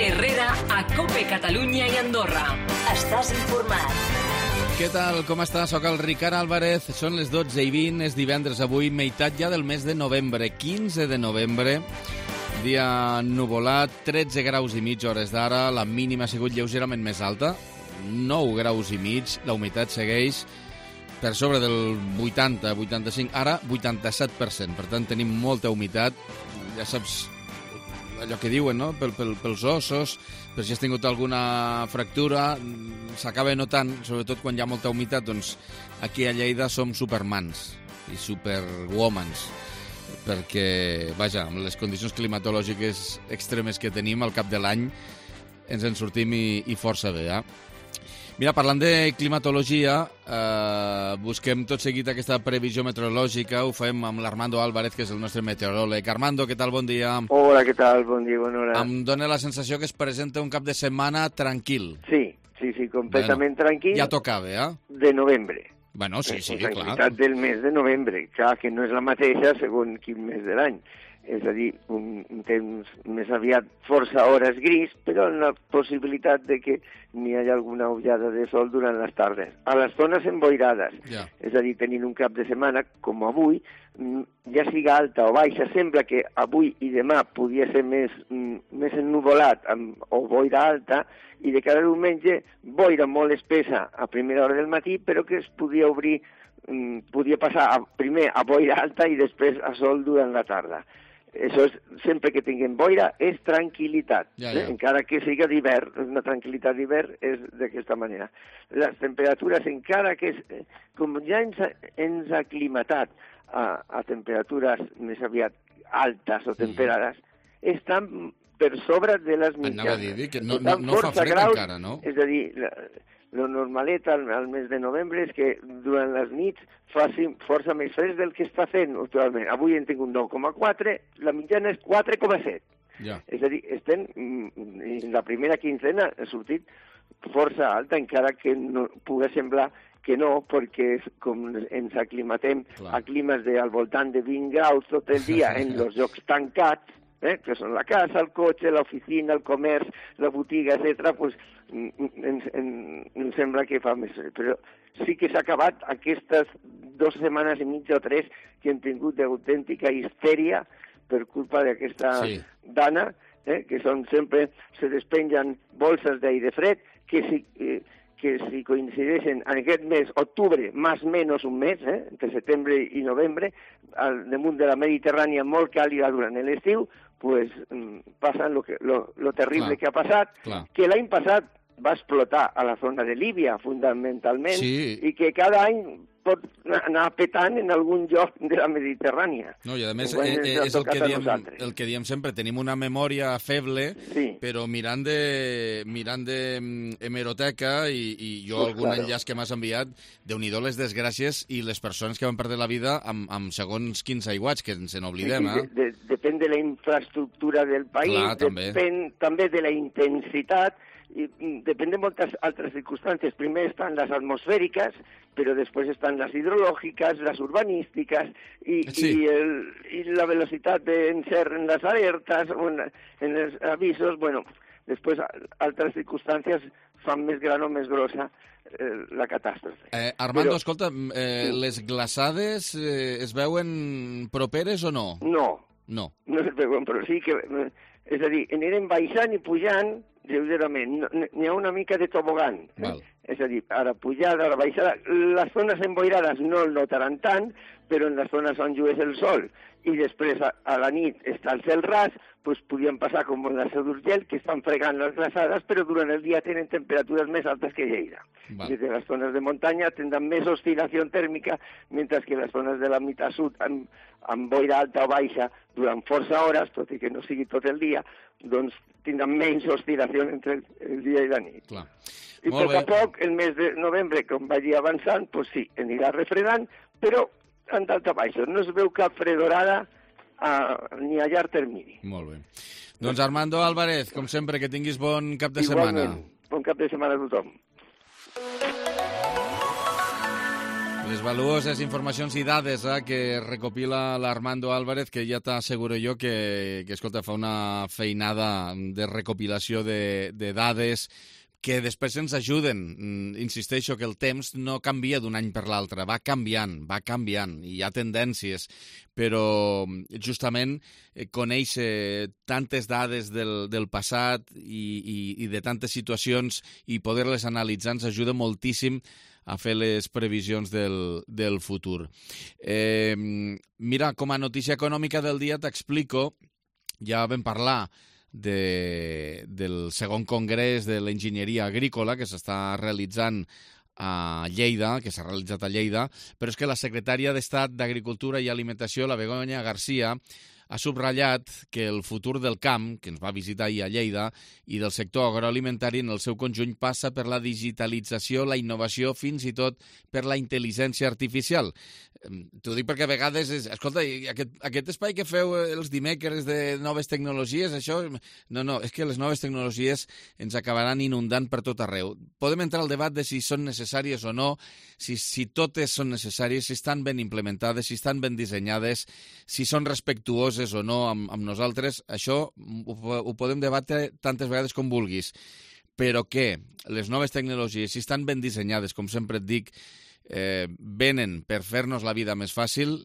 Herrera, a COPE Catalunya i Andorra. Estàs informat. Què tal? Com estàs? Soc el Ricard Álvarez. Són les 12:20, és divendres avui, meitat ja del mes de novembre, 15 de novembre. Dia nuvolat, 13 graus i mig hores d'ara, la mínima ha sigut lleugerament més alta, 9 graus i mig, la humitat segueix per sobre del 80-85, ara 87%, per tant tenim molta humitat, ja saps allò que diuen, no? Pels ossos, per si has tingut alguna fractura, s'acaba notant, sobretot quan hi ha molta humitat, doncs aquí a Lleida som supermans i superwomans, perquè, vaja, amb les condicions climatològiques extremes que tenim al cap de l'any ens en sortim i força bé, eh? Mira, parlant de climatologia, busquem tot seguit aquesta previsió meteorològica, ho fem amb l'Armando Álvarez, que és el nostre meteoròleg. Armando, què tal? Bon dia. Hola, què tal? Bon dia, bona hora. Em dóna la sensació que es presenta un cap de setmana tranquil. Sí, completament tranquil. Ja tocava, eh? De novembre. Bueno, sí, La clar. tranquil·litat del mes de novembre, clar, que no és la mateixa segons quin mes de l'any. És a dir, un temps més aviat força hores gris, però amb la possibilitat de que n'hi hagi alguna ullada de sol durant les tardes. A les zones emboirades, és a dir, tenint un cap de setmana com avui, ja siga alta o baixa, sembla que avui i demà podia ser més ennuvolat o boira alta, i de cara al diumenge, boira molt espessa a primera hora del matí, però que es podia obrir, podia passar primer a boira alta i després a sol durant la tarda. Això és, sempre que tinguem boira, és tranquil·litat. Encara que siga d'hivern, una tranquil·litat d'hivern és d'aquesta manera. Les temperatures, encara que com ja ens ha aclimatat a temperatures més aviat altes o temperades, estan per sobre de les mitjanes. Anava a dir que no fa fred encara, no? És a dir, lo normalet al mes de novembre és que durant les nits faci força més fred del que està fent actualment. Avui hem tingut 9,4, la mitjana és 4,7. És a dir, estem, la primera quincena ha sortit força alta, encara que no pugui semblar que no, perquè com ens aclimatem a climes al voltant de 20 graus tot el dia en els llocs tancats, que són la casa, el cotxe, l'oficina, el comerç, la botiga, etc., doncs ens sembla que fa més fred. Però sí que s'ha acabat aquestes 2 setmanes i mitja o 3 que hem tingut d'autèntica histèria per culpa d'aquesta dana, que són sempre, se despengen bolses d'aire fred, que si coincideixen en aquest mes, octubre, més o menys un mes, entre setembre i novembre, al damunt de la Mediterrània molt càlida durant l'estiu, pues passa lo terrible que ha passat, que l'any passat va explotar a la zona de Líbia, fundamentalment, i que cada any pot anar petant en algun lloc de la Mediterrània. No, i a més és el que diem sempre, tenim una memòria feble, però mirant d'hemeroteca i jo algun enllaç que m'has enviat, Déu-n'hi-do les desgràcies i les persones que van perdre la vida amb segons quins aiguats, que ens n'oblidem. Depèn de la infraestructura del país, depèn també de la intensitat, i depèn de moltes altres circumstàncies. Primer estan les atmosfèriques, però després estan les hidrològiques, les urbanístiques i la velocitat d'encert en les alertes o en els avisos. Bueno, després altres circumstàncies fan més gran o més grossa la catàstrofe. Armando, escolta, les glaçades es veuen properes o no? No es veuen, però sí que... És a dir, anirem baixant i pujant lleugerament. N'hi ha una mica de tobogan. És a dir, ara pujada, ara baixada. Les zones emboirades no el notaran tant, però en les zones on llueix el sol i després a la nit està el cel ras, doncs podien passar com en la Seu d'Urgell, que estan fregant les glaçades, però durant el dia tenen temperatures més altes que Lleida. Des de les zones de muntanya tindran més oscil·lació tèrmica, mentre que les zones de la meitat sud, amb boira alta o baixa, durant força hores, tot i que no sigui tot el dia, doncs tindran menys oscil·lació entre el dia i la nit. I a poc a poc, el mes de novembre, com vagi avançant, doncs sí, anirà refredant, però en d'alta baixa. No es veu cap fredorada ni a llarg termini. Molt bé. Doncs Armando Álvarez, com sempre, que tinguis bon cap de setmana. Igualment, bon cap de setmana a tothom. Les valuoses informacions i dades que recopila l'Armando Álvarez, que ja t'asseguro jo que escolta, fa una feinada de recopilació de dades que després ens ajuden. Insisteixo que el temps no canvia d'un any per l'altre, va canviant, i hi ha tendències, però justament conèixer tantes dades del passat i de tantes situacions i poder-les analitzar ens ajuda moltíssim a fer les previsions del futur. Mira, com a notícia econòmica del dia t'explico, ja vam parlar del segon congrés de l'enginyeria agrícola que s'està realitzant a Lleida, que s'ha realitzat a Lleida, però és que la secretària d'Estat d'Agricultura i Alimentació, la Begoña García, ha subratllat que el futur del camp, que ens va visitar ahir a Lleida, i del sector agroalimentari en el seu conjunt passa per la digitalització, la innovació, fins i tot per la intel·ligència artificial. T'ho dic perquè a vegades escolta, aquest espai que feu els dimecres de noves tecnologies, això... No, és que les noves tecnologies ens acabaran inundant per tot arreu. Podem entrar al debat de si són necessàries o no, si totes són necessàries, si estan ben implementades, si estan ben dissenyades, si són respectuoses o no amb nosaltres. Això ho podem debatre tantes vegades com vulguis. Però que les noves tecnologies, si estan ben dissenyades, com sempre et dic, venen per fer-nos la vida més fàcil,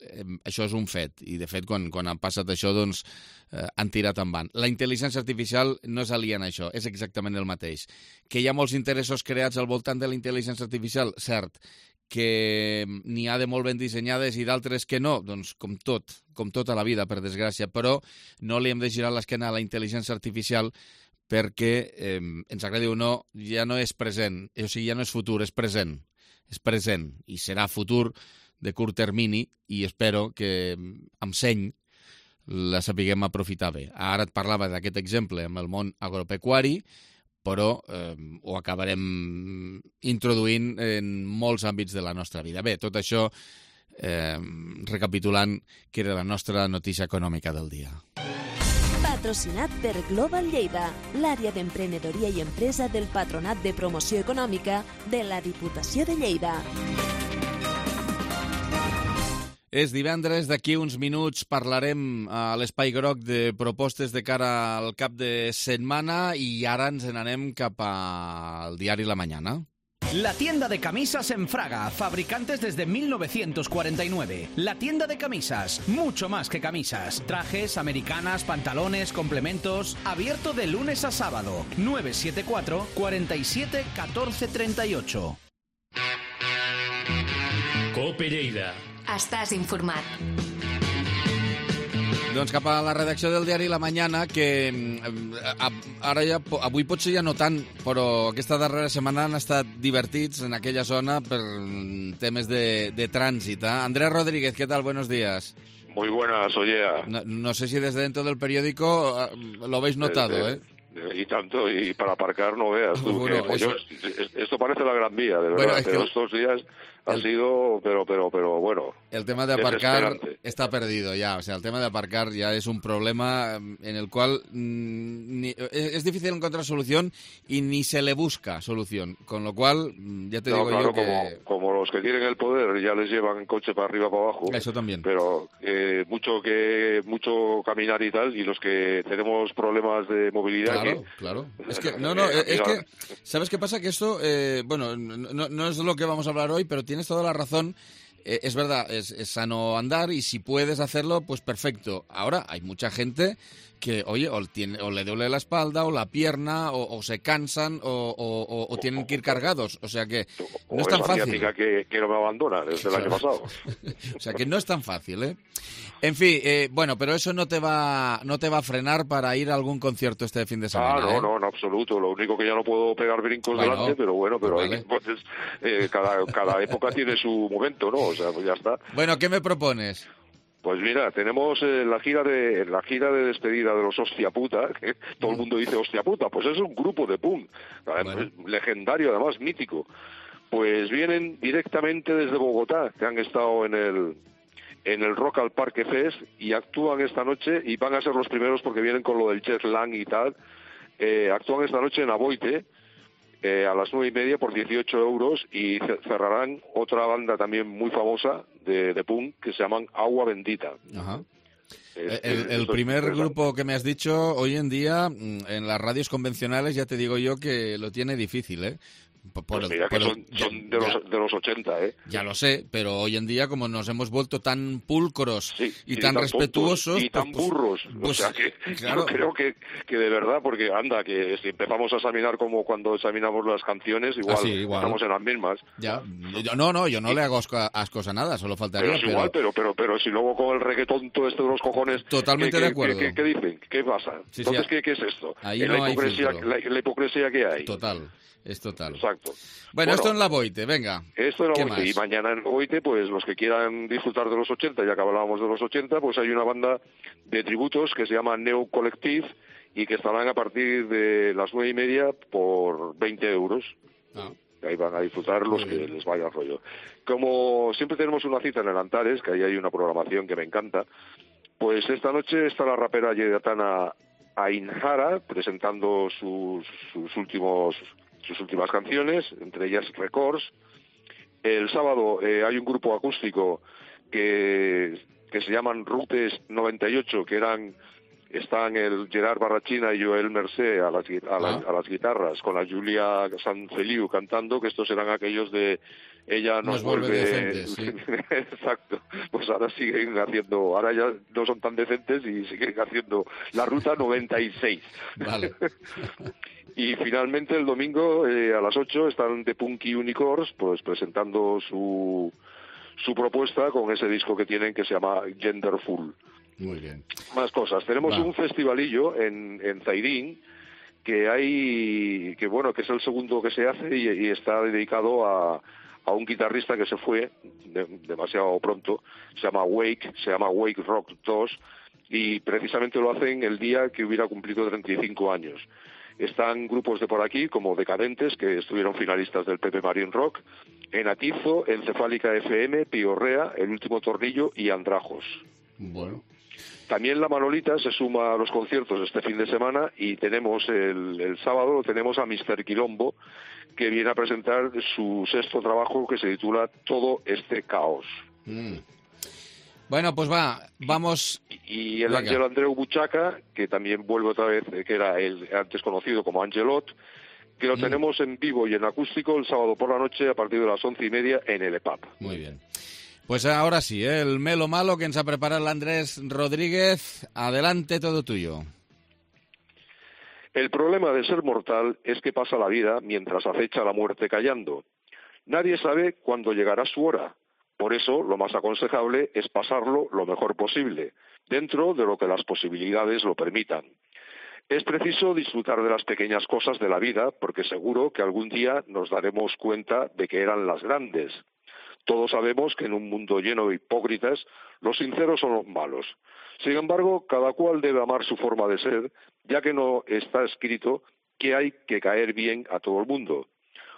això és un fet. I, de fet, quan ha passat això, doncs, han tirat endavant. La intel·ligència artificial no és aliena a això, és exactament el mateix. Que hi ha molts interessos creats al voltant de la intel·ligència artificial, cert. Que n'hi ha de molt ben dissenyades i d'altres que no, doncs com tota la vida, per desgràcia. Però no li hem de girar l'esquena a la intel·ligència artificial perquè, ens agradi o no, ja no és present, o sigui, ja no és futur, és present. És present i serà futur de curt termini i espero que amb seny la sapiguem aprofitar bé. Ara et parlava d'aquest exemple amb el món agropecuari, però ho acabarem introduint en molts àmbits de la nostra vida. Bé, tot això recapitulant que era la nostra notícia econòmica del dia. Patrocinat per Global Lleida, l'àrea d'emprenedoria i empresa del Patronat de Promoció Econòmica de la Diputació de Lleida. És divendres, d'aquí uns minuts parlarem a l'Espai Groc de propostes de cara al cap de setmana i ara ens n'anem cap al diari La Mañana. La tienda de camisas en Fraga, fabricantes desde 1949. La tienda de camisas, mucho más que camisas. Trajes, americanas, pantalones, complementos. Abierto de lunes a sábado. 974 47 14 38. Cope Lleida. Estàs informat. Doncs cap a la redacció del diari La Mañana, que ara ja, avui potser ja no tant, però aquesta darrera setmana han estat divertits en aquella zona per temes de trànsit. Andrés Rodríguez, ¿qué tal? Buenos días. Muy buenas, oye. No sé si desde dentro del periódico lo habéis notado, ¿eh? Y tanto, y para aparcar no veas tú. Bueno, esto parece la Gran Vía, de verdad, bueno, pero estos días ha sido, pero bueno. El tema de aparcar está perdido ya, o sea, el tema de aparcar ya es un problema en el cual es difícil encontrar solución y ni se le busca solución, con lo cual ya te digo claro, yo que... Como los que tienen el poder ya les llevan coche para arriba, para abajo. Eso también. Pero mucho caminar y tal, y los que tenemos problemas de movilidad... Claro. Es que, es que, ¿sabes qué pasa? Que esto, bueno, no es lo que vamos a hablar hoy, pero tienes toda la razón. Es verdad, es sano andar y si puedes hacerlo, pues perfecto. Ahora, hay mucha gente que, oye, o le duele la espalda o la pierna o se cansan o tienen que ir cargados. O sea que no es tan fácil. Que no me abandona desde el año pasado. O sea que no es tan fácil, ¿eh? En fin, bueno, pero eso no te va a frenar para ir a algún concierto este fin de semana. No, en absoluto. Lo único que ya no puedo pegar brincos delante, pero bueno, vale. Entonces cada época tiene su momento, ¿no? O sea, pues ya está. Bueno, ¿qué me propones? Pues mira, tenemos la gira de despedida de los Hostia Puta, que todo el mundo dice Hostia Puta, pues es un grupo de punk, legendario además, mítico. Pues vienen directamente desde Bogotá, que han estado en el Rock al Parque Fest y actúan esta noche y van a ser los primeros porque vienen con lo del jet lag y tal. Actúan esta noche en Aboite a las 9:30 por 18 euros, y cerrarán otra banda también muy famosa de punk que se llaman Agua Bendita. Ajá. El primer grupo que me has dicho, hoy en día, en las radios convencionales, ya te digo yo que lo tiene difícil, ¿eh? Pues mira que son de los 80, ¿eh? Ya lo sé, pero hoy en día, como nos hemos vuelto tan pulcros y tan tan respetuosos... y tan burros. O sea que claro. Yo creo que de verdad, porque anda, que si empezamos a examinar como cuando examinamos las canciones, igual estamos en las mismas. Ya. Yo no le hago ascos a nada, solo faltaría. Pero es igual, pero si luego con el reggaetón todo esto de los cojones... Totalmente de acuerdo. ¿Qué dicen? ¿Qué pasa? Sí, entonces, ¿qué es esto? Ahí la hipocresía que hay. Total. Es total. Exacto. Bueno, esto en la Boite, venga. Esto en la Boite. Y mañana en la Boite, pues los que quieran disfrutar de los 80, ya que hablábamos de los 80, pues hay una banda de tributos que se llama Neo Collective y que estarán a partir de las 9:30 por 20 euros. Ahí van a disfrutar los que les vaya el rollo. Como siempre tenemos una cita en el Antares, que ahí hay una programación que me encanta, pues esta noche está la rapera Yedetana Ainhara presentando sus últimas canciones, entre ellas Records. El sábado hay un grupo acústico que se llaman Rutes 98, que están el Gerard Barrachina y Joel Mercé a las guitarras, con la Julia Sanfeliu cantando, que estos serán aquellos de Ella nos vuelve decentes, sí. Exacto. Pues ahora ya no son tan decentes y siguen haciendo la Ruta 96. Vale. Y finalmente el domingo a las 8 están The Punky Unicorns, pues presentando su propuesta con ese disco que tienen que se llama Genderful. Muy bien. Más cosas. Tenemos un festivalillo en Zairín que es el segundo que se hace y está dedicado a un guitarrista que se fue demasiado pronto. Se llama Wake Rock 2, y precisamente lo hacen el día que hubiera cumplido 35 años. Están grupos de por aquí, como Decadentes, que estuvieron finalistas del Pepe Marín Rock, Enatizo, Encefálica FM, Piorrea, El Último Tornillo y Andrajos. Bueno. También la Manolita se suma a los conciertos este fin de semana, y tenemos el sábado tenemos a Mr. Quilombo, que viene a presentar su sexto trabajo, que se titula Todo este caos. Bueno, pues vamos... Y el Ángel Andreu Buchaca, que también vuelve otra vez, que era el antes conocido como Angelot, que lo tenemos en vivo y en acústico el sábado por la noche a partir de las 11:30 en el EPAP. Muy bien. Pues ahora sí, el melo malo que ens ha preparat l'Andrés Rodríguez. Adelante, todo tuyo. El problema de ser mortal es que pasa la vida mientras acecha la muerte callando. Nadie sabe cuándo llegará su hora. Por eso, lo más aconsejable es pasarlo lo mejor posible, dentro de lo que las posibilidades lo permitan. Es preciso disfrutar de las pequeñas cosas de la vida, porque seguro que algún día nos daremos cuenta de que eran las grandes. Todos sabemos que en un mundo lleno de hipócritas, los sinceros son los malos. Sin embargo, cada cual debe amar su forma de ser, ya que no está escrito que hay que caer bien a todo el mundo.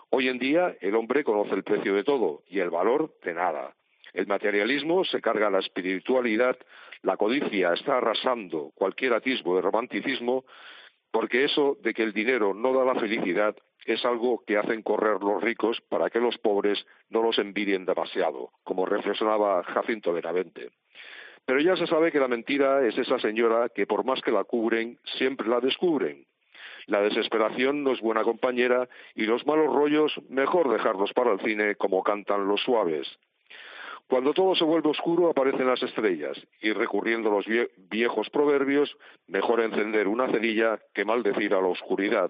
Hoy en día, el hombre conoce el precio de todo y el valor de nada. El materialismo se carga la espiritualidad, la codicia está arrasando cualquier atisbo de romanticismo, porque eso de que el dinero no da la felicidad es algo que hacen correr los ricos para que los pobres no los envidien demasiado, como reflexionaba Jacinto Benavente. Pero ya se sabe que la mentira es esa señora que por más que la cubren, siempre la descubren. La desesperación no es buena compañera y los malos rollos mejor dejarlos para el cine como cantan los suaves. Cuando todo se vuelve oscuro aparecen las estrellas y recurriendo a los viejos proverbios, mejor encender una cerilla que maldecir a la oscuridad.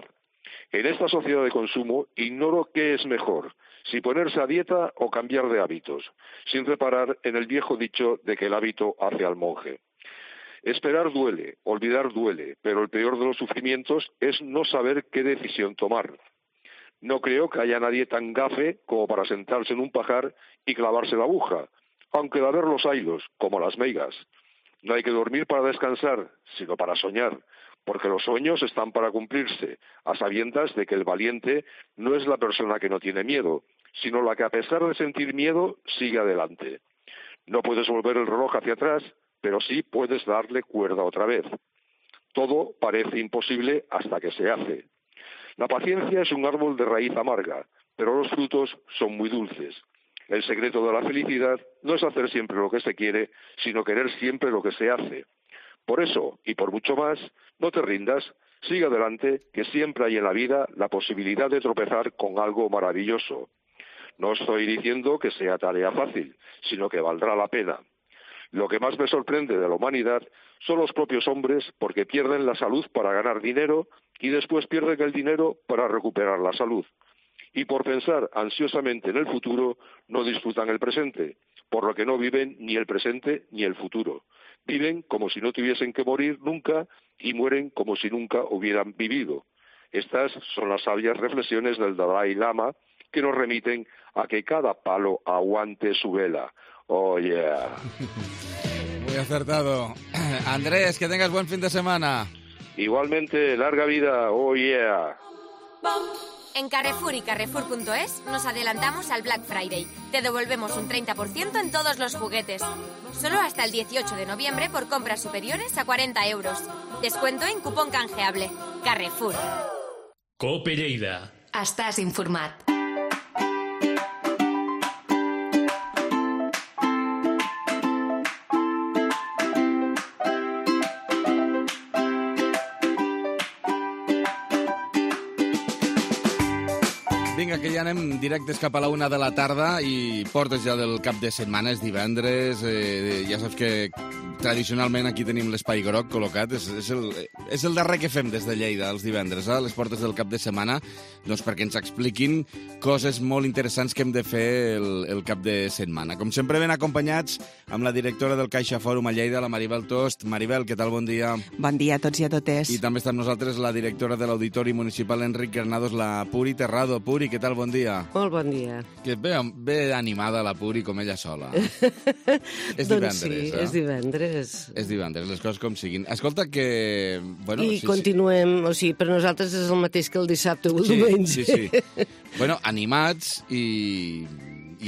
En esta sociedad de consumo ignoro qué es mejor, si ponerse a dieta o cambiar de hábitos, sin reparar en el viejo dicho de que el hábito hace al monje. Esperar duele, olvidar duele, pero el peor de los sufrimientos es no saber qué decisión tomar. No creo que haya nadie tan gafe como para sentarse en un pajar y clavarse la aguja, aunque de haber los haylos, como las meigas. No hay que dormir para descansar, sino para soñar, porque los sueños están para cumplirse, a sabiendas de que el valiente no es la persona que no tiene miedo, sino la que a pesar de sentir miedo sigue adelante. No puedes volver el reloj hacia atrás, pero sí puedes darle cuerda otra vez. Todo parece imposible hasta que se hace. La paciencia es un árbol de raíz amarga, pero los frutos son muy dulces. El secreto de la felicidad no es hacer siempre lo que se quiere, sino querer siempre lo que se hace. Por eso, y por mucho más, no te rindas, sigue adelante, que siempre hay en la vida la posibilidad de tropezar con algo maravilloso. No estoy diciendo que sea tarea fácil, sino que valdrá la pena. Lo que más me sorprende de la humanidad son los propios hombres porque pierden la salud para ganar dinero y después pierden el dinero para recuperar la salud. Y por pensar ansiosamente en el futuro, no disfrutan el presente, por lo que no viven ni el presente ni el futuro. Viven como si no tuviesen que morir nunca y mueren como si nunca hubieran vivido. Estas son las sabias reflexiones del Dalai Lama que nos remiten a que cada palo aguante su vela. Oh, yeah. Muy acertado. Andrés, que tengas buen fin de semana. Igualmente, larga vida. Oh, yeah. En Carrefour y Carrefour.es nos adelantamos al Black Friday. Te devolvemos un 30% en todos los juguetes. Solo hasta el 18 de noviembre por compras superiores a 40 euros. Descuento en cupón canjeable. Carrefour. Cope Lleida. Estàs informat. Vinga, que ja anem directes cap a la 1 de la tarda i portes ja del cap de setmana, és divendres, ja saps que tradicionalment aquí tenim l'espai groc col·locat, és el darrer que fem des de Lleida els divendres, a les portes del cap de setmana, doncs perquè ens expliquin coses molt interessants que hem de fer el cap de setmana. Com sempre ben acompanyats amb la directora del Caixa Fòrum a Lleida, la Maribel Tost. Maribel, què tal? Bon dia. Bon dia a tots i a totes. I també està amb nosaltres la directora de l'Auditori Municipal Enric Granados, la Puri Terrado. Puri, què tal? Bon dia. Molt bon dia. Que ve animada la Puri com ella sola. És doncs divendres, sí, és divendres. És divendres, les coses com siguin. Escolta que... Bueno, I continuem, o sigui, per nosaltres és el mateix que el dissabte o el diumenge. Sí. Bueno, animats i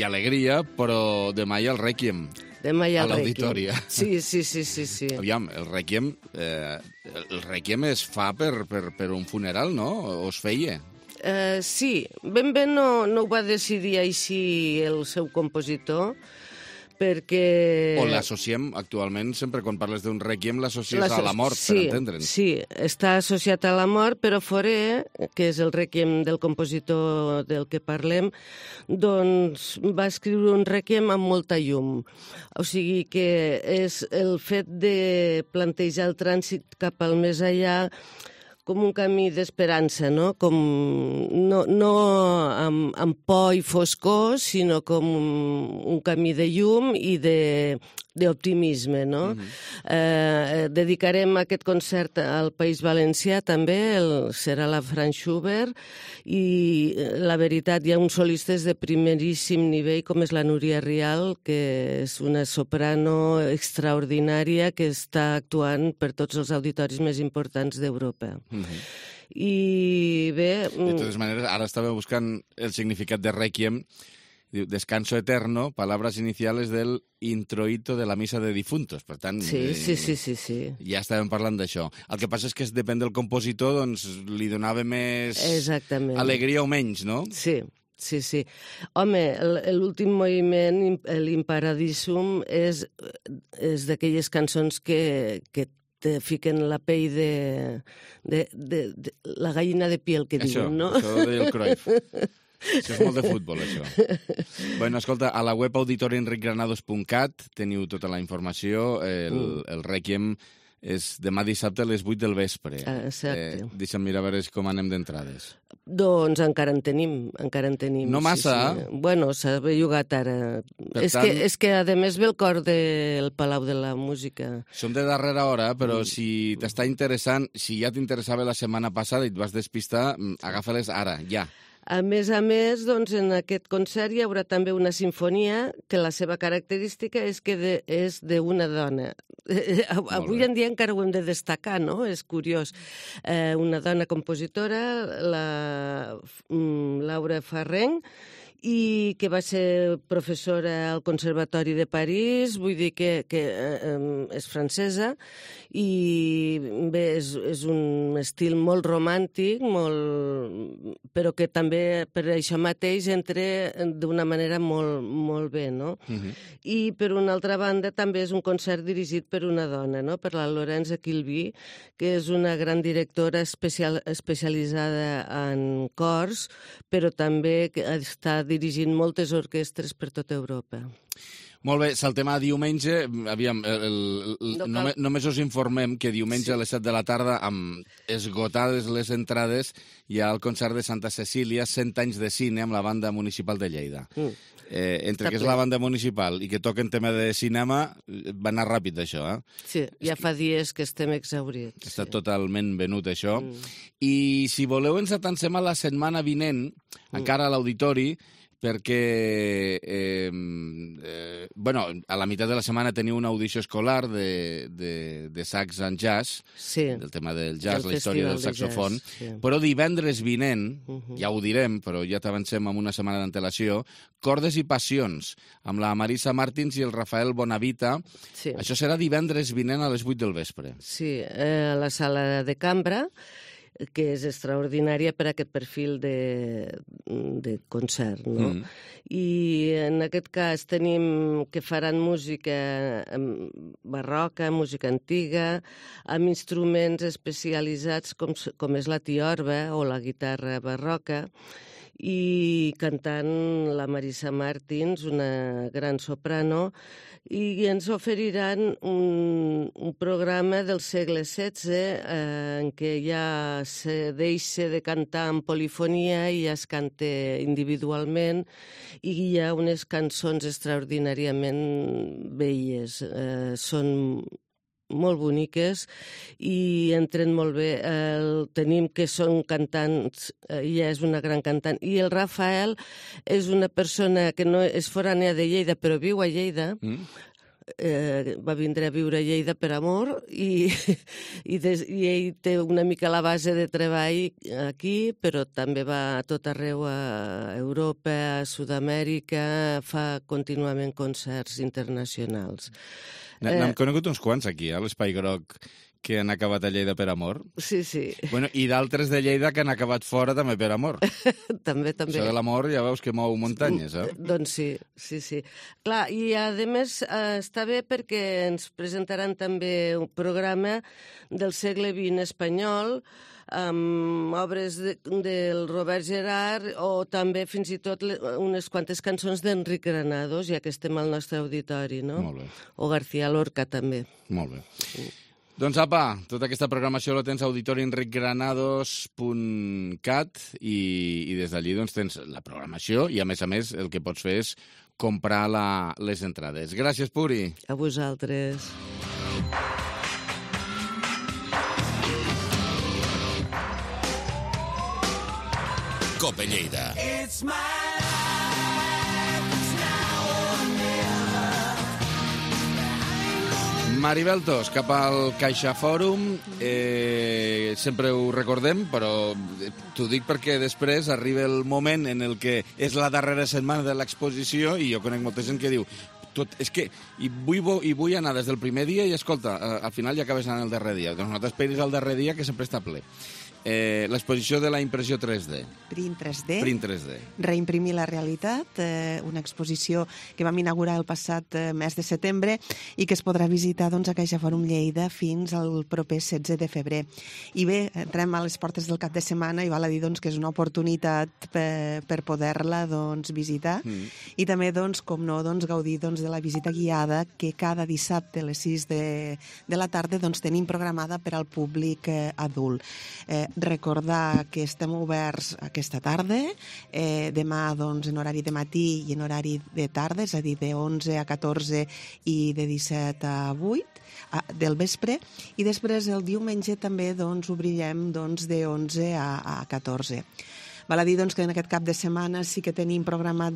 alegria, però demà hi ha el Rèquiem. Demà hi ha a l'Auditori. Sí. Aviam, el Rèquiem es fa per un funeral, no? O es feia? Sí, ben bé no ho va decidir així el seu compositor, perquè... O l'associem actualment, sempre quan parles d'un Rèquiem, l'associes a la mort, per entendre'ns. Sí, està associat a la mort, però Fauré, que és el Rèquiem del compositor del que parlem, doncs va escriure un Rèquiem amb molta llum. O sigui que és el fet de plantejar el trànsit cap al més allà com un camí d'esperança, no? Com no amb por i foscor, sinó com un camí de llum i d'optimisme, no? Dedicarem aquest concert al País Valencià també, serà la Franz Schubert, i la veritat hi ha uns solistes de primeríssim nivell, com és la Núria Rial, que és una soprano extraordinària que està actuant per tots els auditoris més importants d'Europa. I bé... De totes maneres, ara estava buscant el significat de Rèquiem. Diu, descanso eterno, palabras iniciales del introito de la misa de difuntos. Per tant, sí. Ja estàvem parlant d'això. El que passa és que depèn del compositor, doncs li donava més alegria o menys, no? Sí. Home, l'últim moviment, l'Imparadisum, és d'aquelles cançons que te fiquen la pell de la gallina de piel, que diuen, no? Això del Cruyff. Això és molt de futbol, això. Bueno, escolta, a la web auditorienricgranados.cat teniu tota la informació. El Rèquiem és demà dissabte a les 8 del vespre. Exacte. Deixa'm mirar a veure com anem d'entrades. Doncs encara en tenim. No massa? Sí. Bueno, s'ha bellugat ara. És que, a més, ve el cor del Palau de la Música. Som de darrera hora, però si t'està interessant, si ja t'interessava la setmana passada i et vas despistar, agafa-les ara, ja. A més, doncs, en aquest concert hi haurà també una sinfonia que la seva característica és que és d'una dona. Avui en dia encara ho hem de destacar, no? És curiós. Una dona compositora, la Laura Farrenc, i que va ser professora al Conservatori de París, vull dir que és francesa, i bé, és un estil molt romàntic, però que també per això mateix entra d'una manera molt bé, no? I per una altra banda també és un concert dirigit per una dona, no? Per la Laurence Kilby, que és una gran directora especialitzada en cors, però també està dirigint moltes orquestres per tota Europa. Molt bé, saltem a diumenge. Aviam, només us informem que diumenge a les 7 de la tarda, amb esgotades les entrades, hi ha el concert de Santa Cecília, 100 anys de cine, amb la banda municipal de Lleida. Entre que és la banda municipal i que toquen tema de cinema, va anar ràpid, això, eh? Sí, ja fa dies que estem exhaurits. Està totalment venut, això. I si voleu, ens atansem a la setmana vinent, encara a l'auditori, perquè a la meitat de la setmana teniu una audició escolar de sax and jazz, del tema del jazz, la història del saxofon, però divendres vinent, ja ho direm, però ja t'avancem amb una setmana d'antelació, Cordes i passions, amb la Marisa Martins i el Rafael Bonavita. Això serà divendres vinent a les 8 del vespre. Sí, a la sala de cambra, que és extraordinària per a aquest perfil de concert, no? I en aquest cas tenim que faran música barroca, música antiga, amb instruments especialitzats com és la tiorba o la guitarra barroca, i cantant la Marisa Martins, una gran soprano, i ens oferiran un programa del segle XVI en què ja se deixa de cantar en polifonia i ja es canta individualment, i hi ha unes cançons extraordinàriament belles. Són molt boniques i entren molt bé. Tenim que són cantants, ella és una gran cantant, i el Rafael és una persona que no és forània de Lleida, però viu a Lleida. Va vindre a viure a Lleida per amor i ell té una mica la base de treball aquí, però també va a tot arreu, a Europa, a Sud-amèrica, fa contínuament concerts internacionals. N'hem conegut uns quants aquí, a l'Espai Groc, que han acabat a Lleida per amor. Sí, sí. Bueno, i d'altres de Lleida que han acabat fora també per amor. També. Això de l'amor ja veus que mou muntanyes, eh? Doncs sí. Clar, i a més està bé perquè ens presentaran també un programa del segle XX espanyol, amb obres del Robert Gerard o també fins i tot unes quantes cançons d'Enric Granados, ja que estem al nostre auditori, no? Molt bé. O García Lorca, també. Molt bé. Doncs apa, tota aquesta programació la tens a auditorienricgranados.cat i des d'allí doncs, tens la programació i a més el que pots fer és comprar les entrades. Gràcies, Puri. A vosaltres. Cope Lleida. Maribel Tos, cap al Caixa Fòrum. Sempre ho recordem, però t'ho dic perquè després arriba el moment en el que és la darrera setmana de l'exposició i jo conec molta gent que diu és que vull anar des del primer dia i, escolta, al final ja acabes anant el darrer dia. Doncs no t'esperis al darrer dia, que sempre està ple. L'exposició de la impressió 3D. Print 3D. Print 3D. Reimprimir la realitat, una exposició que vam inaugurar el passat mes de setembre i que es podrà visitar a Caixa Fòrum Lleida fins al proper 16 de febrer. I bé, entrem a les portes del cap de setmana i val a dir que és una oportunitat per poder-la visitar i també, com no, gaudir de la visita guiada que cada dissabte a les 6 de la tarda tenim programada per al públic adult. Recordar que estem oberts aquesta tarda, demà en horari de matí i en horari de tarda, és a dir, de 11 a 14 i de 17 a 8 del vespre, i després el diumenge també obrirem de 11 a 14. Val a dir que en aquest cap de setmana sí que tenim programat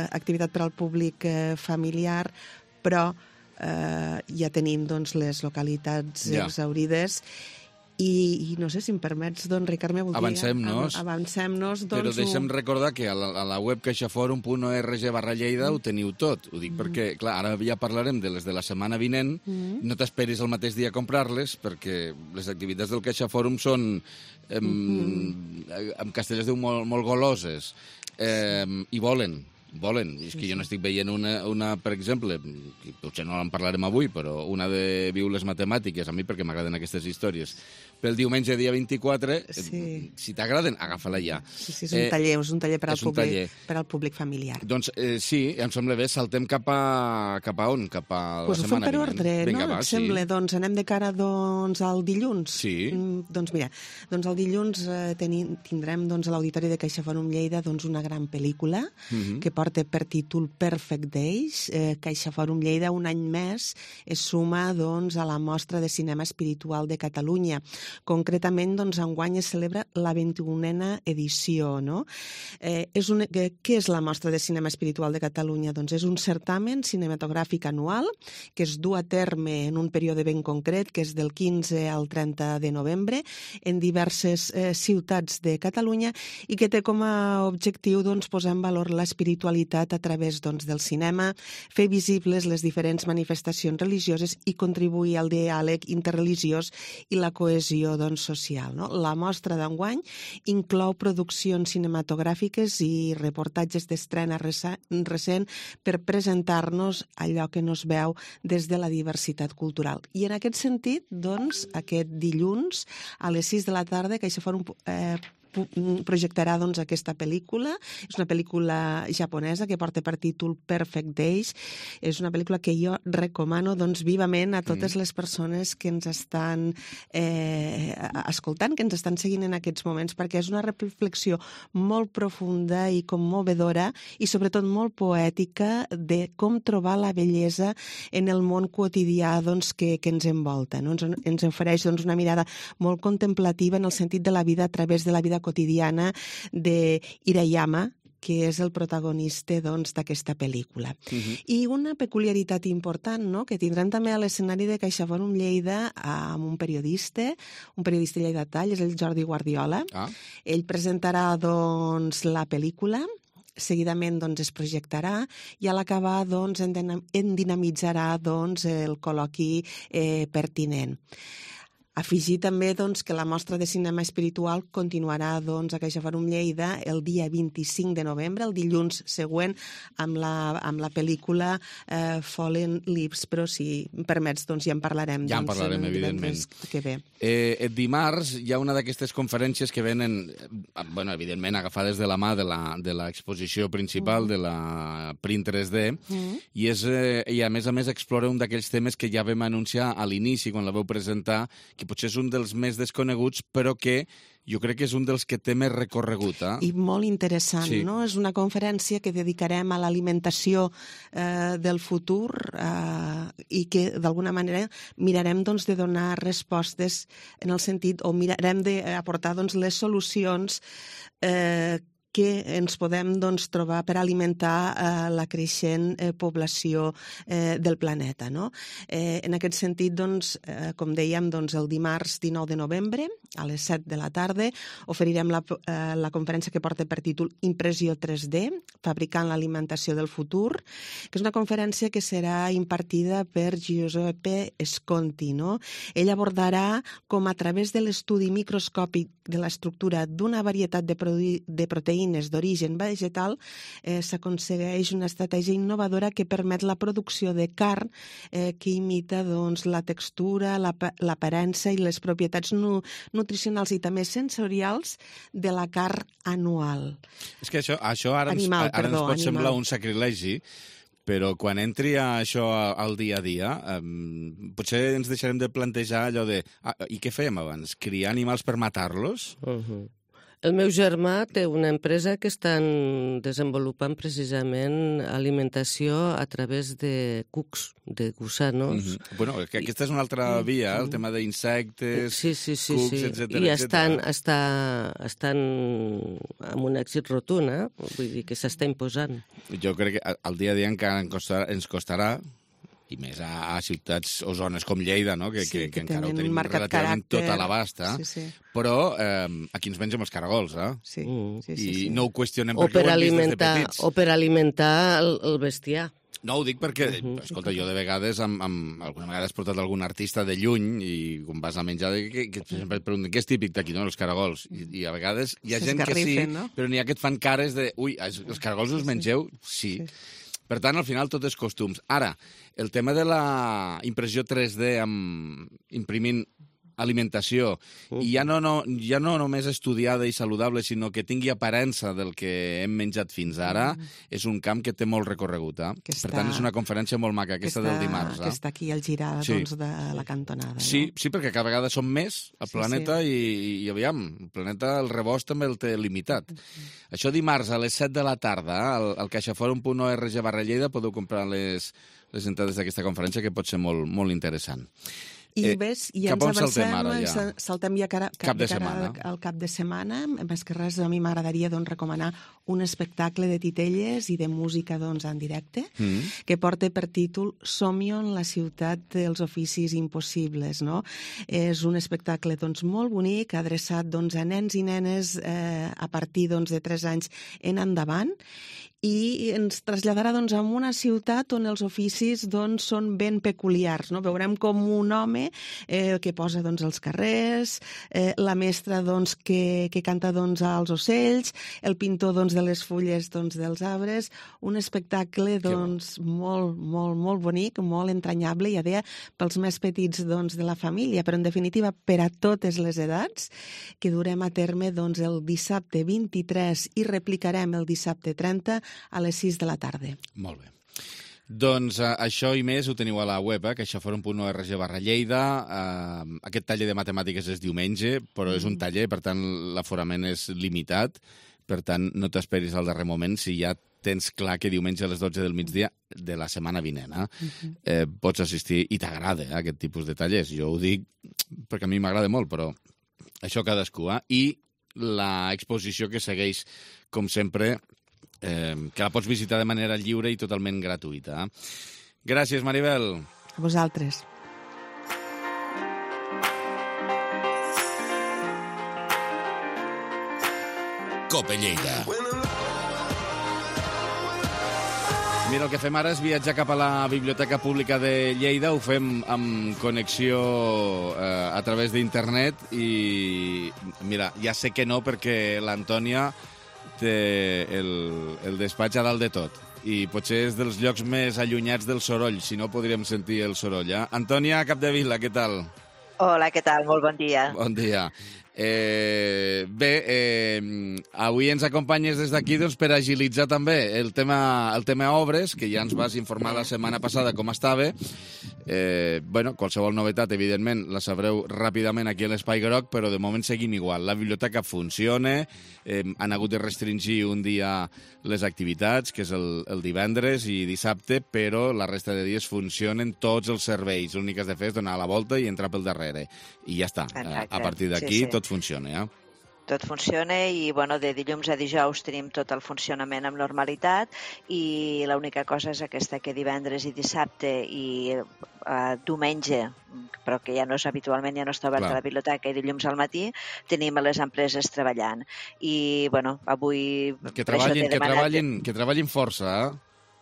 activitat per al públic familiar, però ja tenim les localitats exhaurides I no sé si em permets, doncs, Ricard, me voldria... Avancem-nos. Avancem-nos, doncs... Però deixa'm recordar que a la web caixaforum.org/lleida ho teniu tot. Ho dic perquè, clar, ara ja parlarem de les de la setmana vinent. No t'esperis el mateix dia a comprar-les, perquè les activitats del CaixaForum són, amb castellers diu, molt goloses. I volen. És que jo n'estic veient una, per exemple, que potser no en parlarem avui, però una de Viu les Matemàtiques, a mi perquè m'agraden aquestes històries, pel diumenge, dia 24, si t'agraden, agafa-la ja. Sí, és un taller per al públic familiar. Doncs sí, em sembla bé, saltem cap a on? Cap a la setmana vinent. Ho fem per ordre, no? Et sembla? Doncs anem de cara al dilluns. Sí. Doncs mira, el dilluns tindrem a l'Auditori de CaixaForum Lleida una gran pel·lícula que porta per títol Perfect Days. CaixaForum Lleida un any més es suma a la Mostra de Cinema Espiritual de Catalunya. Concretament, enguany es celebra la 21a edició, no? Què és la Mostra de Cinema Espiritual de Catalunya? Doncs és un certamen cinematogràfic anual que es du a terme en un període ben concret, que és del 15 al 30 de novembre, en diverses ciutats de Catalunya i que té com a objectiu posar en valor l'espiritualitat a través del cinema, fer visibles les diferents manifestacions religioses i contribuir al diàleg interreligiós i la cohesió social. La mostra d'enguany inclou produccions cinematogràfiques i reportatges d'estrena recent per presentar-nos allò que no es veu des de la diversitat cultural. I en aquest sentit, aquest dilluns a les 6 de la tarda CaixaForum projectarà aquesta pel·lícula. És una pel·lícula japonesa que porta per títol Perfect Days. És una pel·lícula que jo recomano vivament a totes les persones que ens estan escoltant, que ens estan seguint en aquests moments, perquè és una reflexió molt profunda i commovedora i sobretot molt poètica de com trobar la bellesa en el món quotidià que ens envolta. Ens ofereix una mirada molt contemplativa en el sentit de la vida a través de la vida quotidiana de Hirayama, que és el protagonista d'aquesta pel·lícula. I una peculiaritat important, que tindrem també a l'escenari de CaixaForum Lleida amb un periodista lleidatà, és el Jordi Guardiola. Ell presentarà la pel·lícula, seguidament es projectarà i a l'acabar en dinamitzarà el col·loqui pertinent. Afegir també que la mostra de cinema espiritual continuarà a CaixaForum Lleida el dia 25 de novembre, el dilluns següent, amb la pel·lícula Fallen Leaves, però si em permets ja en parlarem. Ja en parlarem, evidentment. Que ve. Dimarts hi ha una d'aquestes conferències que venen, evidentment, agafades de la mà de l'exposició principal, de la Print 3D, i a més explora un d'aquells temes que ja vam anunciar a l'inici, quan la vau presentar, que potser és un dels més desconeguts, però que jo crec que és un dels que té més recorregut. I molt interessant, no? És una conferència que dedicarem a l'alimentació del futur i que, d'alguna manera, mirarem de donar respostes en el sentit, o mirarem d'aportar les solucions que ens podem trobar per alimentar la creixent població del planeta. En aquest sentit, com dèiem, el dimarts 19 de novembre, a les 7 de la tarda, oferirem la conferència que porta per títol Impressió 3D, fabricant l'alimentació del futur, que és una conferència que serà impartida per Giuseppe Sconti. Ell abordarà com a través de l'estudi microscòpic de l'estructura d'una varietat de proteïnes d'origen vegetal s'aconsegueix una estratègia innovadora que permet la producció de carn que imita la textura, l'aparença i les propietats nutricionals i també sensorials de la carn anual. És que això ara ens pot semblar un sacrilegi, però quan entri això al dia a dia, potser ens deixarem de plantejar allò de i què fèiem abans? Criar animals per matar-los? El meu germà té una empresa que estan desenvolupant precisament alimentació a través de cucs, de gusanos. Bueno, que aquesta és una altra via, el tema d'insectes, cucs, etc. I estan amb un èxit rotund, vull dir que s'està imposant. Jo crec que al dia a dia encara ens costarà, i més a ciutats o zones com Lleida, no? que encara ho tenim relativament caràcter. tot a l'abast, però aquí ens mengem els caragols, i no ho qüestionem perquè ho hem vist des de petits. O per alimentar el bestiar. No, ho dic perquè, escolta, jo de vegades, alguna vegada has portat algun artista de lluny i quan vas a menjar, que sempre et pregunten què és típic d'aquí, no? Els caragols. I a vegades hi ha gent que sí, però n'hi ha que et fan cares de ui, els caragols us mengeu? Sí. Per tant, al final, tot és costums. Ara, el tema de la impressió 3D imprimint alimentació, i ja no només estudiada i saludable, sinó que tingui aparença del que hem menjat fins ara, és un camp que té molt recorregut. Per tant, és una conferència molt maca, aquesta del dimarts. Que està aquí al girar de la cantonada. Sí, perquè cada vegada som més al planeta i aviam, el planeta, el rebost també el té limitat. Això dimarts a les 7 de la tarda, al caixaforum.org/Lleida, podeu comprar les entrades d'aquesta conferència, que pot ser molt, molt interessant. I ves, ja ens avancem, saltem ja al cap de setmana. Més que res, a mi m'agradaria recomanar un espectacle de titelles i de música en directe, que porta per títol Somio, la ciutat dels oficis impossibles. És un espectacle molt bonic, adreçat a nens i nenes a partir de 3 anys en endavant, i ens traslladarà a una ciutat on els oficis són ben peculiars. Veurem com un home que posa els carrers, la mestra que canta als ocells, el pintor de les fulles dels arbres, un espectacle molt, molt, molt bonic, molt entranyable, ja deia, pels més petits de la família, però en definitiva per a totes les edats, que durem a terme el dissabte 23 i replicarem el dissabte 30 a les 6 de la tarda. Molt bé. Doncs això i més ho teniu a la web, caixaforum.org/Lleida. Aquest taller de matemàtiques és diumenge, però és un taller, per tant l'aforament és limitat, per tant no t'esperis al darrer moment si ja tens clar que diumenge a les 12 del migdia de la setmana vinent pots assistir i t'agrada aquest tipus de tallers. Jo ho dic perquè a mi m'agrada molt, però això cadascú. I l'exposició que segueix, com sempre, que la pots visitar de manera lliure i totalment gratuïta. Gràcies, Maribel. A vosaltres. Cope Lleida. Mira, el que fem ara és viatjar cap a la Biblioteca Pública de Lleida. Ho fem amb connexió a través d'internet i, mira, ja sé que no, perquè l'Antònia té el despatx a dalt de tot i potser és dels llocs més allunyats del soroll, si no podríem sentir el soroll. Antònia Capdevila, què tal? Hola, què tal? Molt bon dia. Bon dia. Avui ens acompanyes des d'aquí per agilitzar també el tema obres, que ja ens vas informar la setmana passada com estava. Qualsevol novetat, evidentment, la sabreu ràpidament aquí a l'Espai Groc, però de moment seguim igual. La biblioteca funciona, han hagut de restringir un dia les activitats, que és el divendres i dissabte, però la resta de dies funcionen tots els serveis. L'únic que has de fer és donar la volta i entrar pel darrere. I ja està. Exacte. A partir d'aquí tot funciona, Tot funciona i, de dilluns a dijous tenim tot el funcionament amb normalitat i l'única cosa és aquesta, que divendres i dissabte i diumenge, però que ja no és habitualment, ja no està oberta la biblioteca, i dilluns al matí tenim les empreses treballant. I, avui... Que treballin força,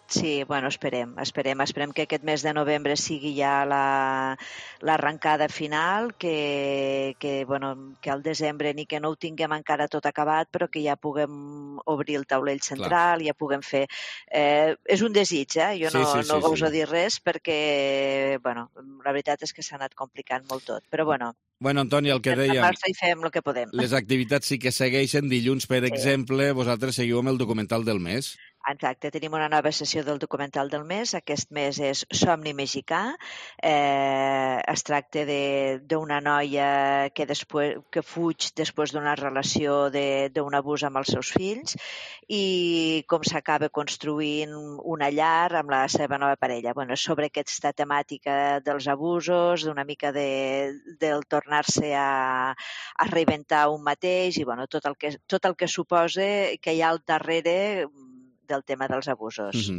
Sí, esperem que aquest mes de novembre sigui ja l'arrencada final, que al desembre ni que no ho tinguem encara tot acabat, però que ja puguem obrir el taulell central, ja puguem fer... és un desig, jo no goso dir res, perquè, la veritat és que s'ha anat complicant molt tot, però Bueno, Antònia, el que dèiem... I fem el que podem. Les activitats sí que segueixen. Dilluns, per exemple, vosaltres seguiu amb el documental del mes. Exacte, tenim una nova sessió del documental del mes. Aquest mes és Somni Mexicà. Es tracta d'una noia que fuig després d'una relació d'un abús amb els seus fills i com s'acaba construint una llar amb la seva nova parella. Sobre aquesta temàtica dels abusos, d'una mica del tornar-se a reinventar un mateix i tot el que suposa que hi ha al darrere del tema dels abusos.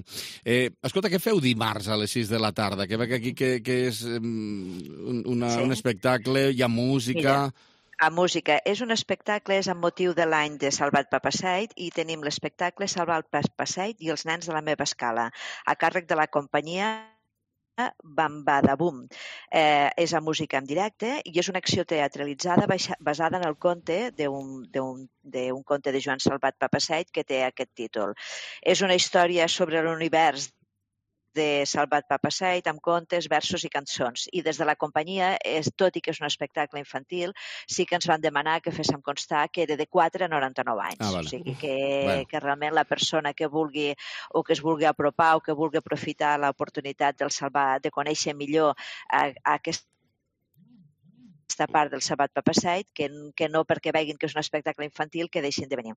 Escolta, què feu dimarts a les 6 de la tarda? Que veig aquí que és un espectacle, hi ha música... Mira. A música. És un espectacle, és amb motiu de l'any de Salvat Papasseit i tenim l'espectacle Salvat Papasseit i els nens de la meva escala, a càrrec de la companyia Bambadabum. És a música en directe i és una acció teatralitzada basada en el conte d'un conte de Joan Salvat Papasseit que té aquest títol. És una història sobre l'univers de Salvat Papasseit amb contes, versos i cançons. I des de la companyia, tot i que és un espectacle infantil, sí que ens van demanar que féssim constar que era de 4 a 99 anys. Vale. O sigui que realment la persona que vulgui o que es vulgui apropar o que vulgui aprofitar l'oportunitat del Salvat, de conèixer millor aquesta part del Salvat Papasseit, que no perquè veguin que és un espectacle infantil que deixin de venir.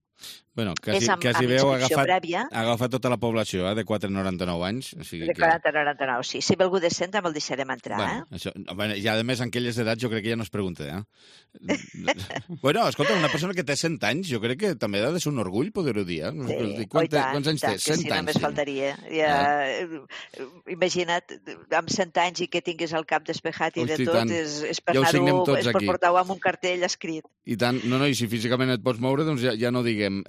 Bueno, quasi veu agafat tota la població, de 4 a 99 anys. O sigui de 40 a 99, sí. Si ve algú de 100 el deixarem entrar, I a més, en aquelles edats jo crec que ja no es pregunta, Bueno, escolta, una persona que té 100 anys, jo crec que també ha de ser un orgull poder-ho dir, Sí, Quants anys té? 100 anys. Només faltaria. Imagina't, amb 100 anys i que tinguis el cap despejat i de tot, és per anar-ho, és per portar-ho amb un cartell escrit. I tant, i si físicament et pots moure, doncs ja no diguem.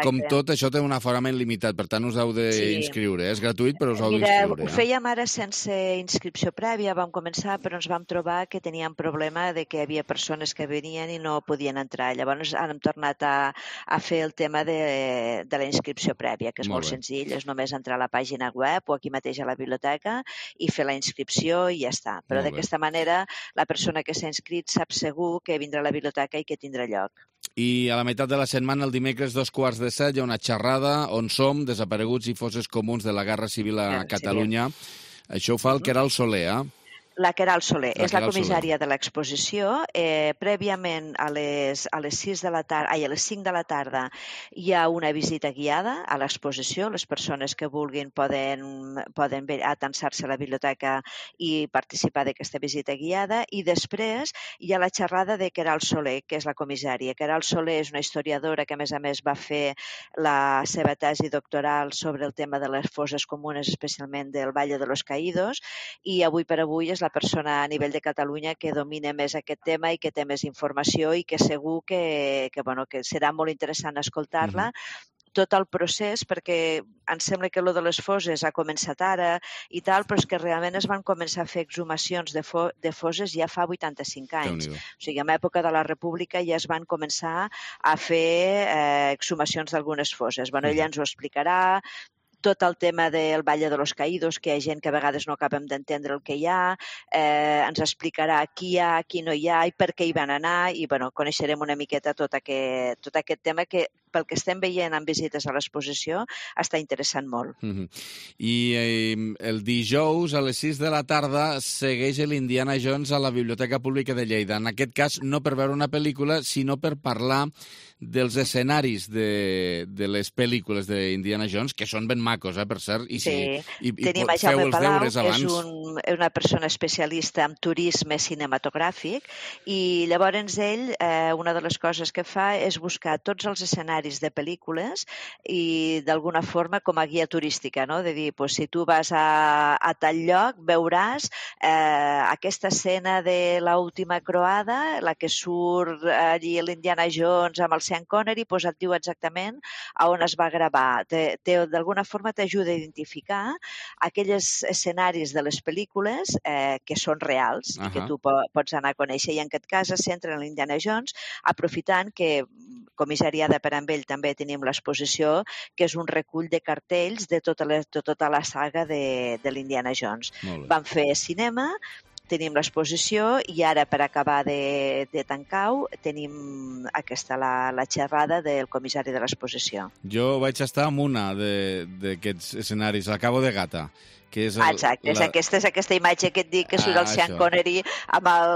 Com tot, això té un aforament limitat, per tant us heu d'inscriure. És gratuït, però us heu d'inscriure. Mira, ho fèiem ara sense inscripció prèvia, vam començar, però ens vam trobar que teníem problema de que hi havia persones que venien i no podien entrar. Llavors hem tornat a fer el tema de la inscripció prèvia, que és molt senzill, és només entrar a la pàgina web o aquí mateix a la biblioteca i fer la inscripció i ja està. Però d'aquesta manera la persona que s'ha inscrit sap segur que vindrà a la biblioteca i que tindrà lloc. I a la meitat de la setmana, el dimecres 7:15, hi ha una xerrada on som desapareguts i fosses comuns de la Guerra Civil a Catalunya. Això ho fa el Queralt Soler, La Queralt Soler és la comissària de l'exposició. Prèviament a les 6 de la tarda, a les 5 de la tarda hi ha una visita guiada a l'exposició. Les persones que vulguin poden atansar-se a la biblioteca i participar d'aquesta visita guiada. I després hi ha la xerrada de Queralt Soler, que és la comissària. Queralt Soler és una historiadora que, a més, va fer la seva tesi doctoral sobre el tema de les fosses comunes, especialment del Valle de los Caídos, i avui per avui és la persona a nivell de Catalunya que domina més aquest tema i que té més informació i que segur que serà molt interessant escoltar-la. Tot el procés, perquè em sembla que de les fosses ha començat ara i tal, però és que realment es van començar a fer exhumacions de fosses ja fa 85 anys. O sigui, en l'època de la República ja es van començar a fer exhumacions d'algunes fosses. Ella ens ho explicarà, tot el tema del Valle de los Caídos, que hi ha gent que a vegades no acabem d'entendre el que hi ha, ens explicarà qui hi ha, qui no hi ha i per què hi van anar i coneixerem una miqueta tot aquest tema que pel que estem veient en visites a l'exposició està interessant molt. I el dijous a les 6 de la tarda segueix l'Indiana Jones a la Biblioteca Pública de Lleida. En aquest cas no per veure una pel·lícula, sinó per parlar dels escenaris de les pel·lícules d'Indiana Jones, que són ben macos, per cert. Tenim a Jaume Palau, que és una persona especialista en turisme cinematogràfic, i llavors ell, una de les coses que fa és buscar tots els escenaris de pel·lícules i d'alguna forma com a guia turística, no? De dir, si tu vas a tal lloc veuràs aquesta escena de l'última croada, la que surt allí l'Indiana Jones amb el Sean Connery, et diu exactament a on es va gravar. D'alguna forma t'ajuda a identificar aquells escenaris de les pel·lícules que són reals i que tu pots anar a conèixer. I en aquest cas es centra en l'Indiana Jones, aprofitant que comissariada per amb ell també tenim l'exposició, que és un recull de cartells de tota la saga de l'Indiana Jones. Vam fer cinema, tenim l'exposició i ara, per acabar de tancar-ho, tenim la xerrada del comissari de l'exposició. Jo vaig estar en una d'aquests escenaris, al Cabo de Gata, que és... Exacte, és aquesta imatge que et dic que surt el Sean Connery amb el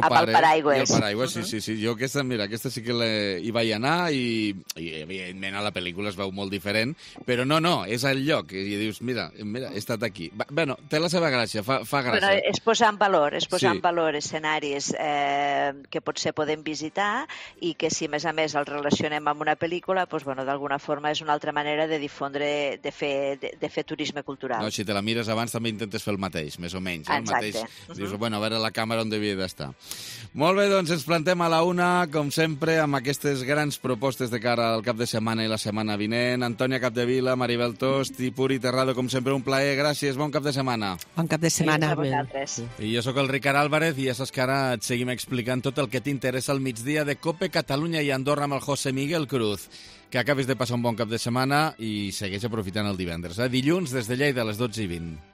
paraigües. I el paraigües, sí. Jo aquesta sí que hi vaig anar i evidentment a la pel·lícula es veu molt diferent, però no, és el lloc. I dius, mira, he estat aquí. Bueno, té la seva gràcia, fa gràcia. Bueno, és posar en valor escenaris que potser podem visitar i que si a més el relacionem amb una pel·lícula, doncs, bueno, d'alguna forma és una altra manera de difondre, de fer turisme cultural. No, si te la mires abans també intentes fer el mateix, més o menys. El mateix. Dius, bueno, a veure la càmera on devia d'estar. Molt bé, doncs ens plantem a la una, com sempre, amb aquestes grans propostes de cara al cap de setmana i la setmana vinent. Antònia Capdevila, Maribel Tost i Puri Terrado, com sempre, un plaer. Gràcies, bon cap de setmana. Bon cap de setmana. I jo sóc el Ricard Álvarez i ja saps que ara et seguim explicant tot el que t'interessa al migdia de COPE Catalunya i Andorra amb el José Miguel Cruz. Que acabis de passar un bon cap de setmana i segueix aprofitant el divendres. Dilluns des de Lleida a les 12:20.